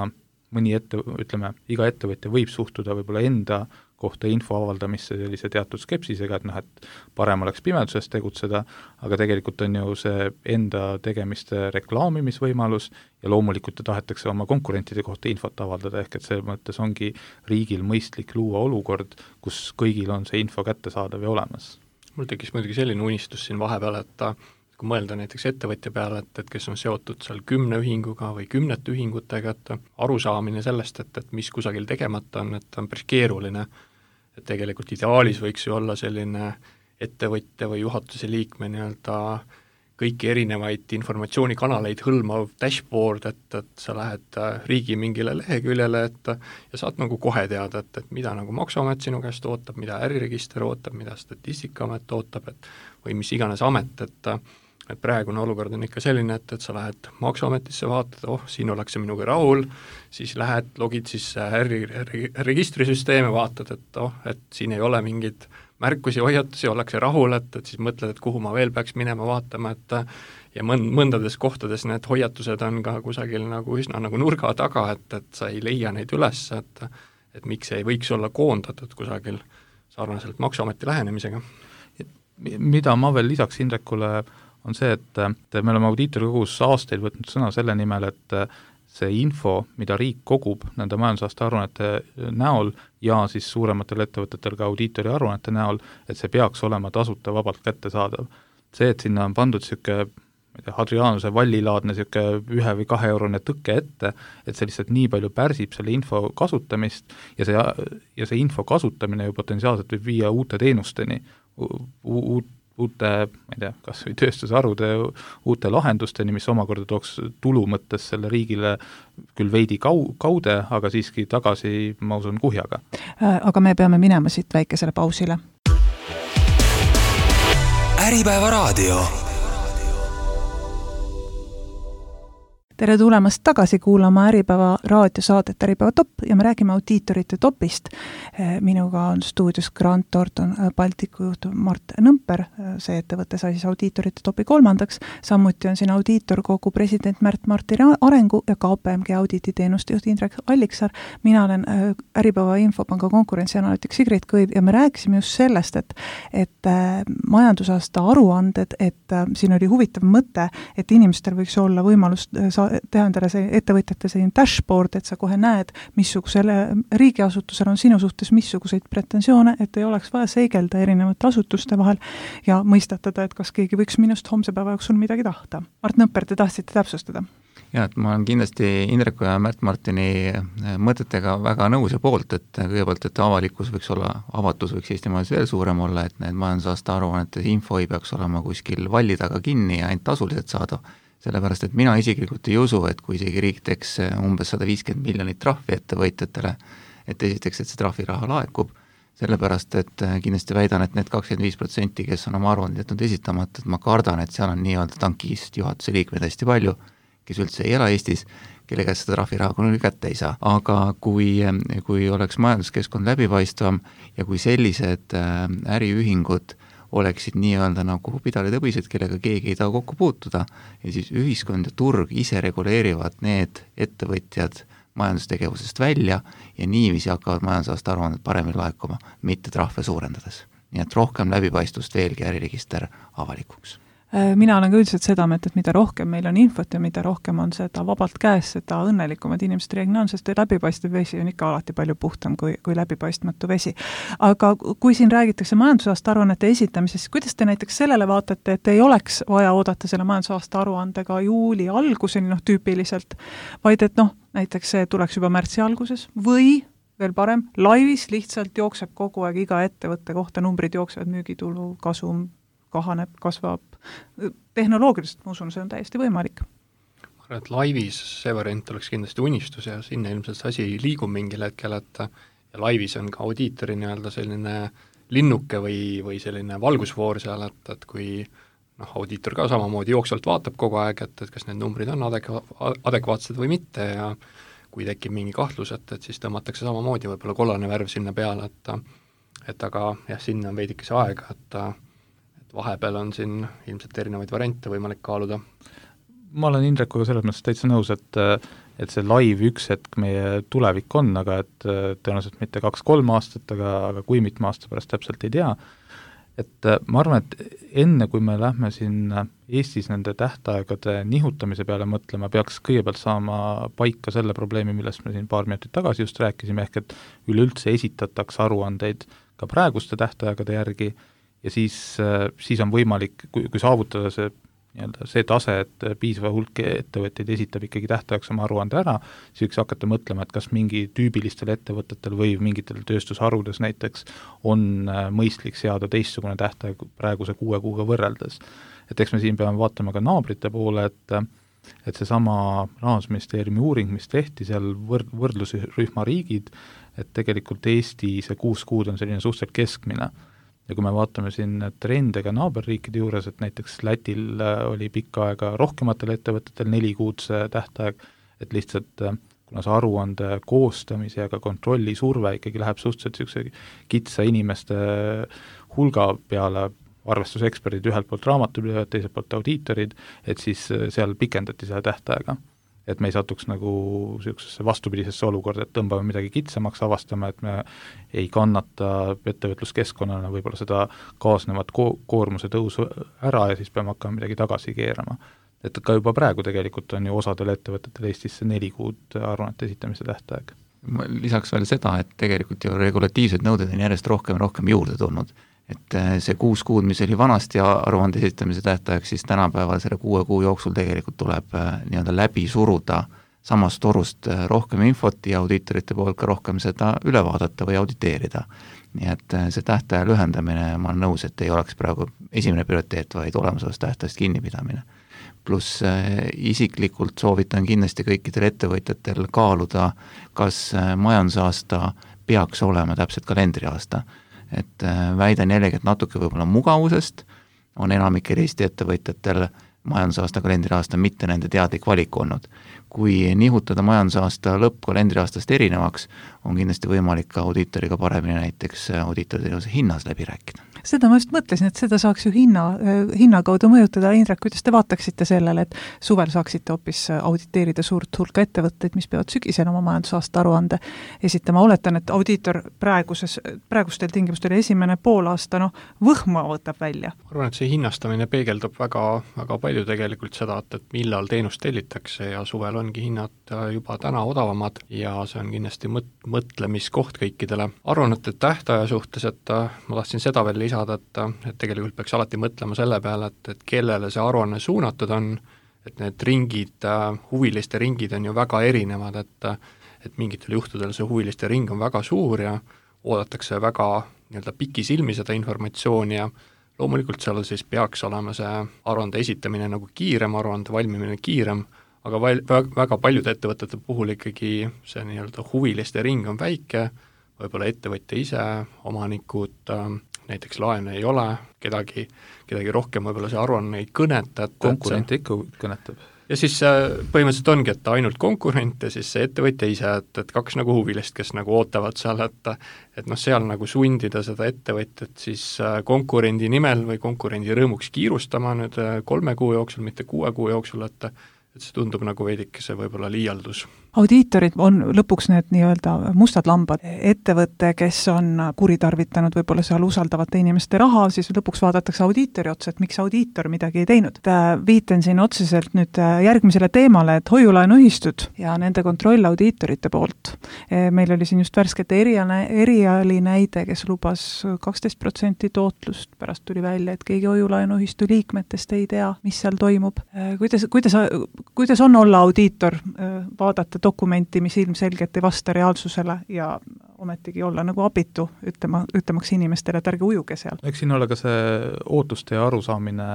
iga ettevõtja võib suhtuda võib-olla enda kohta info avaldamisse sellise teatud skepsisega, et parem oleks pimeduses tegutseda, aga tegelikult on ju see enda tegemiste reklaamimisvõimalus ja loomulikult tahetakse oma konkurentide kohta infot avaldada, ehk et selles mõttes ongi riigil mõistlik luua olukord, kus kõigil on see info kättesaadav ja olemas. Mul tekkis muidugi selline unistus siin vahepeal, et kui mõelda näiteks ettevõtja peale, et kes on seotud seal 10 ühinguga või 10 ühingutega, et arusaamine sellest, et mis kusagil tegemata on, et on päris keeruline, et tegelikult ideaalis võiks ju olla selline ettevõtja või juhatuse liikme kõiki erinevaid informatsioonikanaleid hõlmav dashboard, et sa lähed riigi mingile leheküljele ja saad kohe teada, et mida Maksuamet sinu käest ootab, mida äriregister ootab, mida Statistikaamet ootab, või mis iganes amet, et praegune olukord on ikka selline, et sa lähed Maksuametisse, vaatad, siin ollakse minuga rahul, siis lähed, logid sisse registrisüsteeme, vaatad, et siin ei ole mingid märkusi, hoiatusi, ollakse rahul, et siis mõtled, et kuhu ma veel peaks minema vaatama, ja mõndades kohtades need hoiatused on ka kusagil üsna nurga taga, et sa ei leia neid üles, et miks ei võiks olla koondatud kusagil sarnaselt Maksuameti lähenemisega. Mida ma veel lisaks Indrekule on see, et me oleme audiitorikogus aastaid võtnud sõna selle nimel, et see info, mida riik kogub nende majandusaasta aruannete näol ja siis suurematel ettevõtetel ka audiitori aruannete näol, et see peaks olema tasuta vabalt kättesaadav. See, et sinna on pandud niisugune Hadrianuse vallilaadne 1 või 2 eurone tõkke ette, et see lihtsalt nii palju pärsib selle info kasutamist ja see info kasutamine ju potentsiaalselt võib viia uute teenusteni, uute, ma ei tea, kas või tööstusharude uute lahendusteni, mis omakorda tooks tulu mõttes selle riigile küll veidi kaude, aga siiski tagasi, ma usun, kuhjaga. Aga me peame minema siit väikesele pausile. Äripäeva raadio. Tere tulemast tagasi kuulama Äripäeva raadiosaadet Äripäeva top ja me räägime audiitorite topist. Minuga on stuudios Grant Thornton Baltiku juht Mart Nõmper, see ettevõte sai siis audiitorite topi 3. Samuti on siin audiitorkogu president Märt-Martin Arengu ja KPMG audititeenuste juht Indrek Alliksaar. Mina olen Äripäeva Infopanga konkurentsianalüütik Sigrid Kõiv ja me rääkisime just sellest, et majandusaasta aruanded, et siin oli huvitav mõte, et inimestel võiks olla võimalus teha endale see ettevõtjate selline dashboard, et sa kohe näed, missugusele riigiasutusel on sinu suhtes missuguseid pretensioone, et ei oleks vaja seigelda erinevate asutuste vahel ja mõistatada, et kas keegi võiks minust homse päeva jooksul midagi tahta. Mart Nõmper, te tahtsite täpsustada? Ja, et ma olen kindlasti Indreku ja Märt-Martini mõtetega väga nõus ja poolt, et kõigepealt, et avatus võiks Eesti majas veel suurem olla, et need majandusaasta aruannete info ei peaks olema kuskil valli taga kinni ja ainult tasuliselt saada. Sellepärast, et mina isiklikult ei usu, et kui isegi riik teeks umbes 150 miljonit trahvi ettevõitjatele, et esiteks, et see trahviraha laekub, sellepärast, et kindlasti väidan, et need 25%, kes on oma aruanded jätnud esitamata, et ma kardan, et seal on nii-öelda tankist juhatuse liikmeid hästi palju, kes üldse ei ela Eestis, kelle käest seda trahviraha kunagi kätte ei saa. Aga kui oleks majanduskeskkond läbipaistvam ja kui sellised äriühingud oleksid nii-öelda nagu pidalitõbised, kellega keegi ei taha kokku puutuda, ja siis ühiskond ja turg ise reguleerivad need ettevõtjad majandustegevusest välja ja niiviisi hakkavad majandusaasta aruanded paremini laekuma, mitte trahve suurendades. Nii et rohkem läbipaistvust veelgi äriregister avalikuks. Mina olen ka üldiselt seda mõtet, et mida rohkem meil on infot ja mida rohkem on seda vabalt käes, seda õnnelikumad inimesed reeglina on, sest läbipaistev vesi on ikka alati palju puhtam kui läbipaistmatu vesi. Aga kui siin räägitakse majandusaasta aruannete esitamisest, kuidas te näiteks sellele vaatate, et ei oleks vaja oodata selle majandusaasta aruandega juuli alguseni tüüpiliselt, vaid et näiteks see tuleks juba märtsi alguses või veel parem, laivis lihtsalt jookseb kogu aeg iga ettevõtte kohta, numbrid jooksevad, müügitulu, kasum kahaneb, kasvab. Tehnoloogiliselt, ma usun, see on täiesti võimalik. Ma arvan, et laivis see variant oleks kindlasti unistus ja sinna ilmselt see asi liigub mingil hetkel, et ja laivis on ka audiitori nii-öelda selline linnuke või selline valgusfoor seal, et kui audiitor ka samamoodi jooksvalt vaatab kogu aeg, et kas need numbrid on adekvaatsed või mitte ja kui tekib mingi kahtlus, et siis tõmmatakse samamoodi võib-olla kollane värv sinna peale, et aga jah, sinna on veidike see aega, et vahepeal on siin ilmselt erinevaid variante võimalik kaaluda. Ma olen Indrekuga selles mõttes täitsa nõus, et see live üks hetk meie tulevik on, aga et tõenäoliselt mitte 2-3 aastat, aga kui mitme aasta pärast täpselt ei tea. Et ma arvan, et enne kui me lähme siin Eestis nende tähtaegade nihutamise peale mõtlema, peaks kõigepealt saama paika selle probleemi, millest me siin paar minutit tagasi just rääkisime, ehk et üleüldse esitatakse aruandeid ka praeguste tähtaegade järgi ja siis on võimalik, kui saavutada see tase, et piisava hulk ettevõtteid esitab ikkagi tähtajaks oma aruande ära, siis võiks hakata mõtlema, et kas mingi tüübilistel ettevõtetel või mingitel tööstusharudes näiteks on mõistlik seada teistsugune tähtaeg praeguse 6 kuuga võrreldes. Et eks me siin peame vaatama ka naabrite poole, et seesama Rahandusministeeriumi uuring, mis tehti seal võrdlusrühma riigid, et tegelikult Eesti see 6 kuud on selline suhteliselt keskmine. Ja kui me vaatame siin trende ka naaberriikide juures, et näiteks Lätil oli pikka aega rohkematel ettevõtetel 4 kuud see tähtaeg, et lihtsalt kuna see aruande koostamise ja ka kontrolli surve ikkagi läheb suhteliselt kitsa inimeste hulga peale, arvestuseksperdid ühelt poolt raamatupidajad, teiselt poolt audiitorid, et siis seal pikendati seda tähtaega. Et me ei satuks nagu sellisesse vastupidisesse olukorda, et tõmbame midagi kitsamaks, avastame, et me ei kannata ettevõtluskeskkonnana võib-olla seda kaasnevat koormuse tõusu ära ja siis peame hakkama midagi tagasi keerama. Et ka juba praegu tegelikult on ju osadel ettevõtetel Eestis 4 kuud aruannete esitamise tähtaeg. Lisaks veel seda, et tegelikult ju regulatiivsed nõuded on järjest rohkem juurde tulnud. Et see 6 kuud, mis oli vanasti aruande esitamise tähtaeg, siis tänapäeval selle 6 kuu jooksul tegelikult tuleb nii-öelda läbi suruda samast torust rohkem infot ja audiitorite poolt ka rohkem seda üle vaadata või auditeerida. Nii et see tähtaja lühendamine, ma olen nõus, et ei oleks praegu esimene prioriteet, vaid olemasolevast tähtajast kinnipidamine. Pluss isiklikult soovitan kindlasti kõikidel ettevõtjatel kaaluda, kas majandusaasta peaks olema täpselt kalendriaasta. Et väidan jällegi, et natuke võib-olla mugavusest on enamikel Eesti ettevõtjatel majandusaasta kalendriaasta mitte nende teadlik valik olnud. Kui nihutada majandusaasta lõpp kalendriaastast erinevaks, on kindlasti võimalik ka audiitoriga paremini näiteks audiitorteenuse hinnas läbi rääkida. Seda ma just mõtlesin, et seda saaks ju hinna kaudu mõjutada. Indrek, kuidas te vaataksite sellele, et suvel saaksite hoopis auditeerida suurt hulka ettevõtteid, mis peavad sügisel oma majandusaasta aruande esitama? Oletan, et audiitor praegustel tingimustel esimene poolaasta võhma võtab välja. Ma arvan, et see hinnastamine peegeldab väga palju tegelikult seda, et millal teenust tellitakse ja suvel ongi hinnad juba täna odavamad ja see on kindlasti mõtlemiskoht kõikidele aruannete tähtaja suhtes, et ma tahtsin seda veel lisada, et tegelikult peaks alati mõtlema selle peale, et kellele see aruanne suunatud on, et need ringid, huviliste ringid on ju väga erinevad, et mingitel juhtudel see huviliste ring on väga suur ja oodatakse väga nii-öelda pikisilmi seda informatsiooni ja loomulikult seal siis peaks olema see aruande esitamine nagu kiirem, aruande valmimine kiirem, aga väga paljude ettevõtete puhul ikkagi see nii-öelda huviliste ring on väike, võib-olla ettevõtja ise, omanikud, näiteks laene ei ole, kedagi rohkem võib-olla see aruanne ei kõneta. Konkurente ikka kõnetab. ja siis põhimõtteliselt ongi, et ainult konkurent ja siis see ettevõtja ise, et kaks nagu huvilist, kes nagu ootavad seal, et noh, seal nagu sundida seda ettevõtjat siis konkurendi nimel või konkurendi rõõmuks kiirustama nüüd 3 kuu jooksul, mitte 6 kuu jooksul, et see tundub nagu veidikese võib-olla liialdus. Audiitorid on lõpuks need nii-öelda mustad lambad. Ettevõte, kes on kuritarvitanud võib-olla seal usaldavate inimeste raha, siis lõpuks vaadatakse audiitori otsa, et miks audiitor midagi ei teinud. Viiten siin otseselt nüüd järgmisele teemale, et hoiulaenuühistud ja nende kontroll audiitorite poolt. Meil oli siin just värskete eriali näide, kes lubas 12% tootlust, pärast tuli välja, et keegi hoiulaenuühistu liikmetest ei tea, mis seal toimub. Kuidas on olla audiitor, vaadata dokumenti, mis ilmselgelt ei vasta reaalsusele ja ometigi olla nagu abitu, ütlemaks inimestele, et ärge ujuge seal. Eks siin ole ka see ootuste ja arusaamine,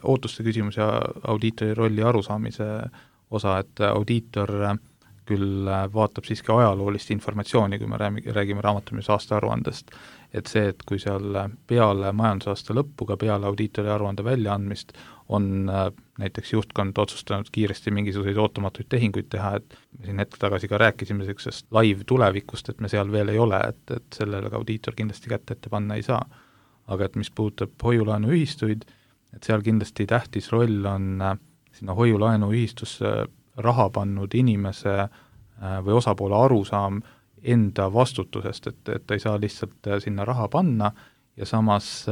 ootuste küsimus ja audiitori rolli arusaamise osa, et audiitor küll vaatab siiski ajaloolist informatsiooni, kui me räägime raamatupidamise aastaaruandest, et see, et kui seal peale majandusaasta lõppu, ka peale audiitori aruande väljaandmist on näiteks juhtkond otsustanud kiiresti mingisuguseid ootamatuid tehinguid teha, et me siin hetk tagasi ka rääkisime sellisest live tulevikust, et me seal veel ei ole, et sellele ka audiitor kindlasti kätte ette panna ei saa. Aga et mis puudutab hoiulaenuühistuid, et seal kindlasti tähtis roll on sinna hoiulaenuühistusse raha pannud inimese või osapoole arusaam enda vastutusest, et ei saa lihtsalt sinna raha panna ja samas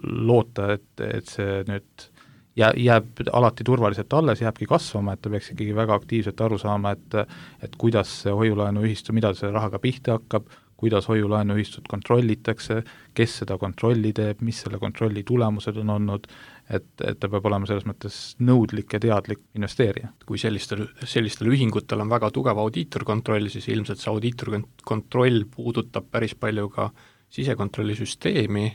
loota, et see nüüd jääb alati turvaliselt alles, jääbki kasvama, et ta peaks ikkagi väga aktiivselt aru saama, et kuidas see hoiulaenuühistu, mida selle rahaga pihta hakkab, kuidas hoiulaenuühistut kontrollitakse, kes seda kontrolli teeb, mis selle kontrolli tulemused on olnud, et ta peab olema selles mõttes nõudlik ja teadlik investeerija. Kui sellistel ühingutel on väga tugev audiitorkontroll, siis ilmselt see audiitorkontroll puudutab päris palju ka sisekontrollisüsteemi,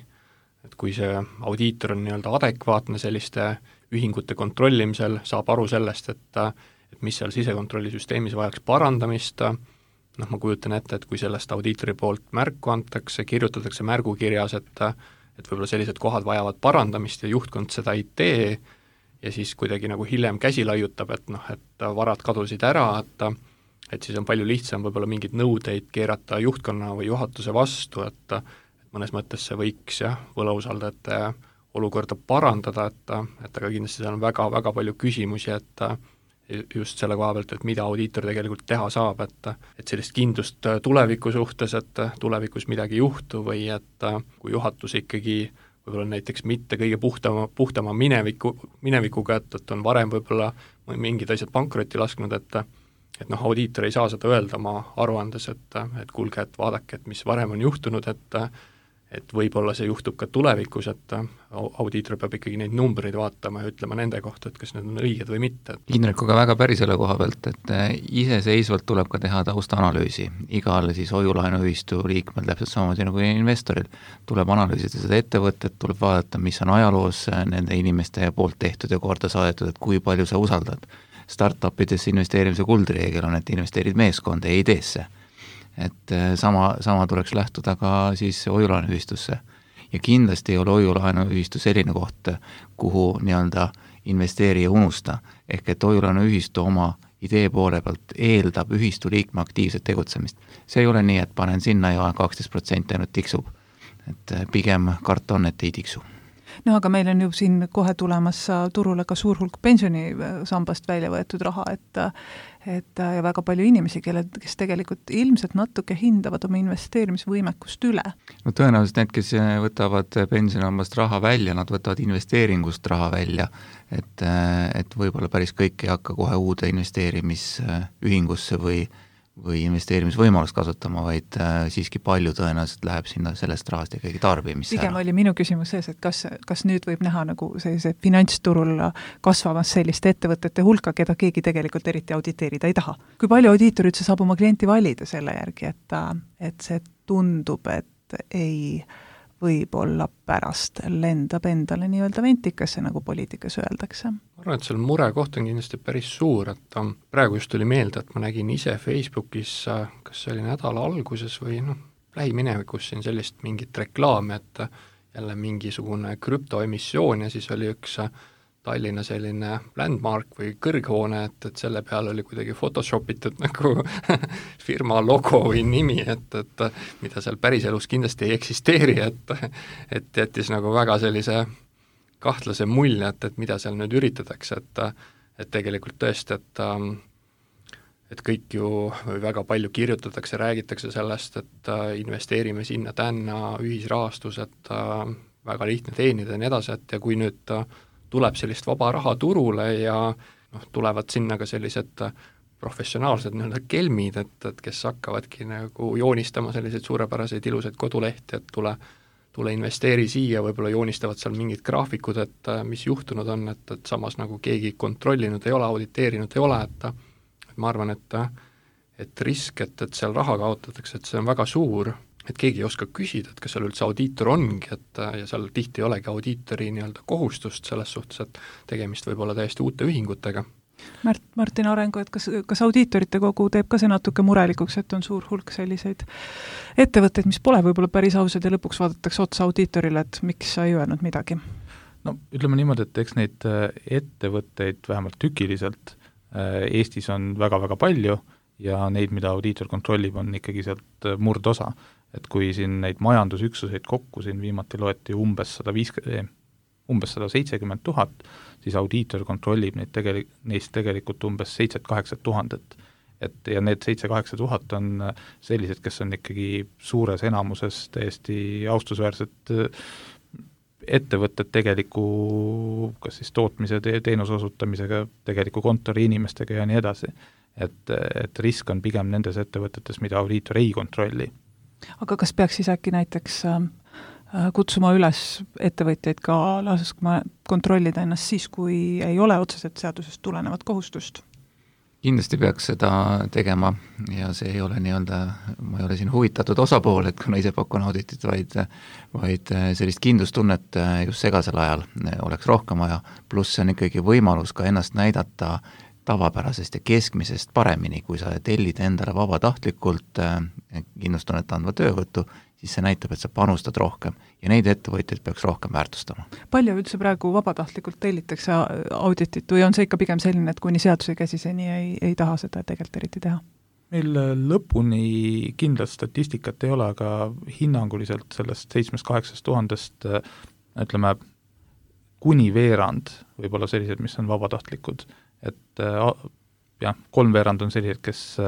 et kui see audiitor on nii-öelda adekvaatne selliste ühingute kontrollimisel, saab aru sellest, et mis seal sisekontrollisüsteemis vajaks parandamist, noh, ma kujutan ette, et kui sellest audiitori poolt märku antakse, kirjutatakse märgukirjas, et võib-olla sellised kohad vajavad parandamist ja juhtkond seda ei tee ja siis kuidagi nagu hiljem käsi laiutab, et noh, et varad kadusid ära, et siis on palju lihtsam võib-olla mingeid nõudeid keerata juhtkonna või juhatuse vastu, et mõnes mõttes see võiks võlausaldajate olukorda parandada, et aga kindlasti seal on väga-väga palju küsimusi, et just selle koha pealt, et mida audiitor tegelikult teha saab, et sellist kindlust tuleviku suhtes, et tulevikus midagi ei juhtu või et kui juhatus ikkagi võib-olla näiteks mitte kõige puhtama minevikuga, et on varem võib-olla mingid asjad pankrotti lasknud, et noh, audiitor ei saa seda öelda oma aruandes, et kuulge, et vaadake, et mis varem on juhtunud, et võib-olla see juhtub ka tulevikus, et audiitor peab ikkagi neid numbreid vaatama ja ütlema nende kohta, et kas need on õiged või mitte. Indrekuga väga päri selle koha pealt, et iseseisvalt tuleb ka teha taustanalüüsi. Igal siis hoiulaenuühistu liikmel täpselt samamoodi nagu investoril tuleb analüüsida seda ettevõtet, tuleb vaadata, mis on ajaloos nende inimeste poolt tehtud ja korda saadetud, et kui palju sa usaldad. Startupidesse investeerimise kuldreegel on, et investeerid meeskonda ja ideesse. Et sama tuleks lähtuda ka siis hoiulaenuühistusse. Ja kindlasti ei ole hoiulaenuühistu selline koht, kuhu nii-öelda investeerija unusta. Ehk et hoiulaenuühistu oma idee poole pealt eeldab ühistu liikme aktiivset tegutsemist. See ei ole nii, et panen sinna ja 12% ainult tiksub. Et pigem karta on, et ei tiksu. No aga meil on ju siin kohe tulemas turule ka suur hulk pensionisambast välja võetud raha, et ja väga palju inimesi, kes tegelikult ilmselt natuke hindavad oma investeerimisvõimekust üle. No tõenäoliselt need, kes võtavad pensionisambast raha välja, nad võtavad investeeringust raha välja, et võib-olla päris kõik ei hakka kohe uude investeerimisühingusse või investeerimisvõimalust kasutama, vaid siiski palju tõenäoliselt läheb sinna sellest rahast ikkagi tarbimisse. Pigem oli minu küsimus sees, et kas nüüd võib näha nagu sellise finantsturul kasvamas selliste ettevõtete hulka, keda keegi tegelikult eriti auditeerida ei taha. Kui palju audiitor üldse saab oma klienti valida selle järgi, et see tundub, et ei võib-olla pärast lendab endale nii-öelda ventikasse, nagu poliitikas öeldakse. Ma arvan, et seal murekoht on kindlasti päris suur, et praegu just tuli meelde, et ma nägin ise Facebookis, kas see oli nädala alguses või lähiminevikus siin sellist mingit reklaami, et jälle mingisugune krüptoemissioon ja siis oli üks Tallinna selline landmark või kõrghoone, et selle peal oli kuidagi photoshopitud nagu firma logo või nimi, et mida seal päriselus kindlasti ei eksisteeri, et jättis nagu väga sellise kahtlase mulje, et mida seal nüüd üritatakse, et tegelikult tõesti, et kõik ju või väga palju kirjutatakse, räägitakse sellest, et investeerime sinna-tänna, ühisrahastus, et väga lihtne teenida ja nii edasi, et ja kui nüüd tuleb sellist vaba raha turule ja tulevad sinna ka sellised professionaalsed nii-öelda kelmid, et kes hakkavadki nagu joonistama selliseid suurepäraseid ilusaid kodulehti, et tule investeeri siia, võib-olla joonistavad seal mingid graafikud, et mis juhtunud on, et samas nagu keegi kontrollinud ei ole, auditeerinud ei ole, et ma arvan, et risk, et seal raha kaotatakse, et see on väga suur, et keegi ei oska küsida, et kas seal üldse audiitor ongi, ja seal tihti ei olegi audiitori nii-öelda kohustust selles suhtes, et tegemist võib olla täiesti uute ühingutega. Martin Arengu, et kas audiitorite kogu teeb ka see natuke murelikuks, et on suur hulk selliseid ettevõtteid, mis pole võib-olla päris ausad ja lõpuks vaadatakse otsa audiitorile, et miks sa ei öelnud midagi? No ütleme niimoodi, et eks neid ettevõtteid vähemalt tükiliselt Eestis on väga-väga palju ja neid, mida audiitor kontrollib, on ikkagi sealt murdosa. Et kui siin neid majandusüksuseid kokku siin viimati loeti umbes 170 000, siis audiitor kontrollib neist tegelikult umbes 7-8 000. Ja need 7-8 000 on sellised, kes on ikkagi suures enamuses täiesti austusväärsed ettevõtted tegeliku kas siis tootmise, teenuse osutamisega, tegeliku kontori inimestega ja nii edasi. Et risk on pigem nendes ettevõtetes, mida audiitor ei kontrolli. Aga kas peaks siis äkki näiteks kutsuma üles ettevõtjaid ka laskma kontrollida ennast siis, kui ei ole otseselt seadusest tulenevat kohustust? Kindlasti peaks seda tegema ja see ei ole nii-öelda, ma ei ole siin huvitatud osapool, et kuna ise pakun auditit, vaid sellist kindlustunnet just segasel ajal oleks rohkem vaja, pluss see on ikkagi võimalus ka ennast näidata tavapärasest ja keskmisest paremini, kui sa tellid endale vabatahtlikult kindlustunnet andva töövõttu, siis see näitab, et sa panustad rohkem ja neid ettevõtjaid peaks rohkem väärtustama. Palju üldse praegu vabatahtlikult tellitakse auditit või on see ikka pigem selline, et kuni seaduse käsiseni ei taha seda tegelikult eriti teha? Meil lõpuni kindlat statistikat ei ole, aga hinnanguliselt sellest 7-8 000 ütleme kuni veerand võib-olla sellised, mis on vabatahtlikud, et jah, 3/4 on sellised, kes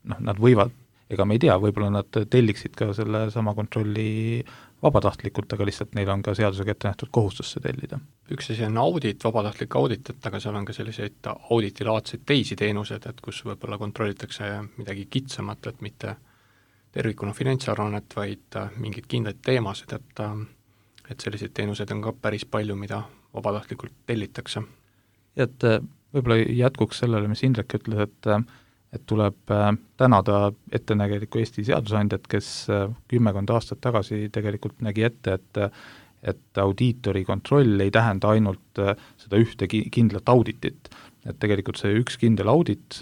nad võivad, ega me ei tea, võib-olla nad telliksid ka selle sama kontrolli vabatahtlikult, aga lihtsalt neil on ka seadusega ette nähtud kohustus see tellida. Üks asi on audit, vabatahtlik audit, aga seal on ka selliseid auditilaadseid teisi teenused, et kus võib-olla kontrollitakse midagi kitsamat, et mitte tervikuna finantsaruannet, vaid mingid kindlaid teemasid, et selliseid teenuseid on ka päris palju, mida vabatahtlikult tellitakse. Et võib-olla jätkuks sellele, mis Indrek ütles, et tuleb tänada ettenägeliku Eesti seadusandjat, kes 10 aastat tagasi tegelikult nägi ette, et audiitori kontroll ei tähenda ainult seda ühte kindlat auditit. Et tegelikult see üks kindel audit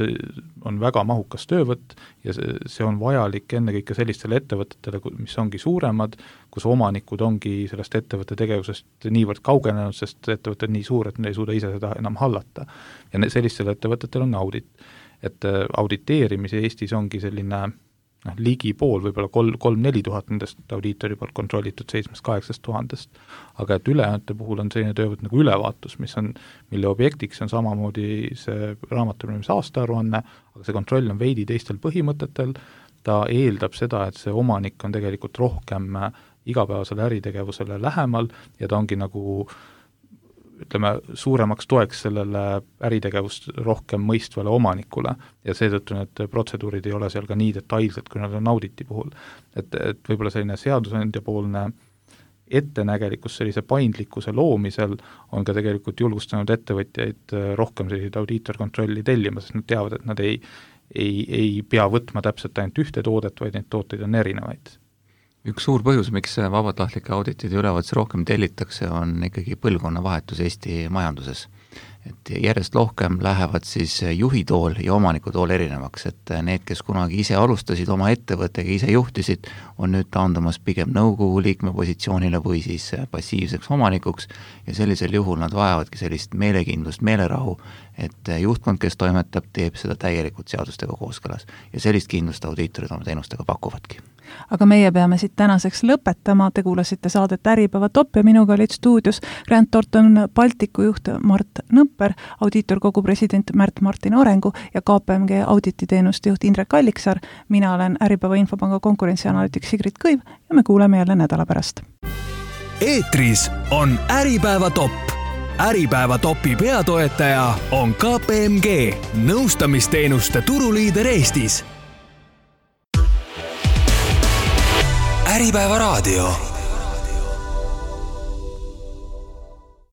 on väga mahukas töövõtt ja see on vajalik ennekõike sellistele ettevõtetele, mis ongi suuremad, kus omanikud ongi sellest ettevõtte tegevusest niivõrd kaugenenud, sest ettevõte on nii suur, et ne ei suuda ise seda enam hallata. Ja sellistele ettevõtetele on audit. Et auditeerimise Eestis ongi selline ligi pool, võib-olla 3-4 tuhat nendest audiitori poolt kontrollitud 7-8 000, aga et ülejäänud puhul on selline töövõtt nagu ülevaatus, mille objektiks on samamoodi see raamatupidamise aastaaruanne, aga see kontroll on veidi teistel põhimõtetel, ta eeldab seda, et see omanik on tegelikult rohkem igapäevasele äritegevusele lähemal ja ta ongi nagu ütleme, suuremaks toeks sellele äritegevust rohkem mõistvale omanikule ja seetõttu need protseduurid ei ole seal ka nii detailsed, kui nad on auditi puhul. Et võib-olla selline seadusandja poolne ettenägelikus sellise paindlikkuse loomisel on ka tegelikult julgustanud ettevõtjaid rohkem selliseid audiitorkontrolli tellima, sest nad teavad, et nad ei pea võtma täpselt ainult ühte toodet, vaid neid tooteid on erinevaid. Üks suur põhjus, miks vabatahtlike auditid ja ülevaatus rohkem tellitakse, on ikkagi põlvkonnavahetus Eesti majanduses. et järjest rohkem lähevad siis juhi tool ja omaniku tool erinevaks, et need, kes kunagi ise alustasid oma ettevõttega, ise juhtisid, on nüüd taandumas pigem nõukogu liikme positsioonile või siis passiivseks omanikuks ja sellisel juhul nad vajavadki sellist meelekindlust, meelerahu, et juhtkond, kes toimetab, teeb seda täielikult seadustega kooskõlas ja sellist kindlust audiitorid oma teenustega pakuvadki. Aga meie peame siit tänaseks lõpetama, te kuulasite saadet Äripäeva Top ja minuga olid stuudios Grant Thornton Balticu juht Mart Nõpper, audiitorkogu president Märt-Martin Orengu ja KPMG audititeenuste juht Indrek Alliksaar. Mina olen Äripäeva Infopanga konkurentsianalüütik Sigrid Kõiv ja me kuuleme jälle nädala pärast. Eetris on Äripäeva Top. Äripäeva Topi peatoetaja on KPMG, nõustamisteenuste turuliider Eestis. Äripäeva raadio.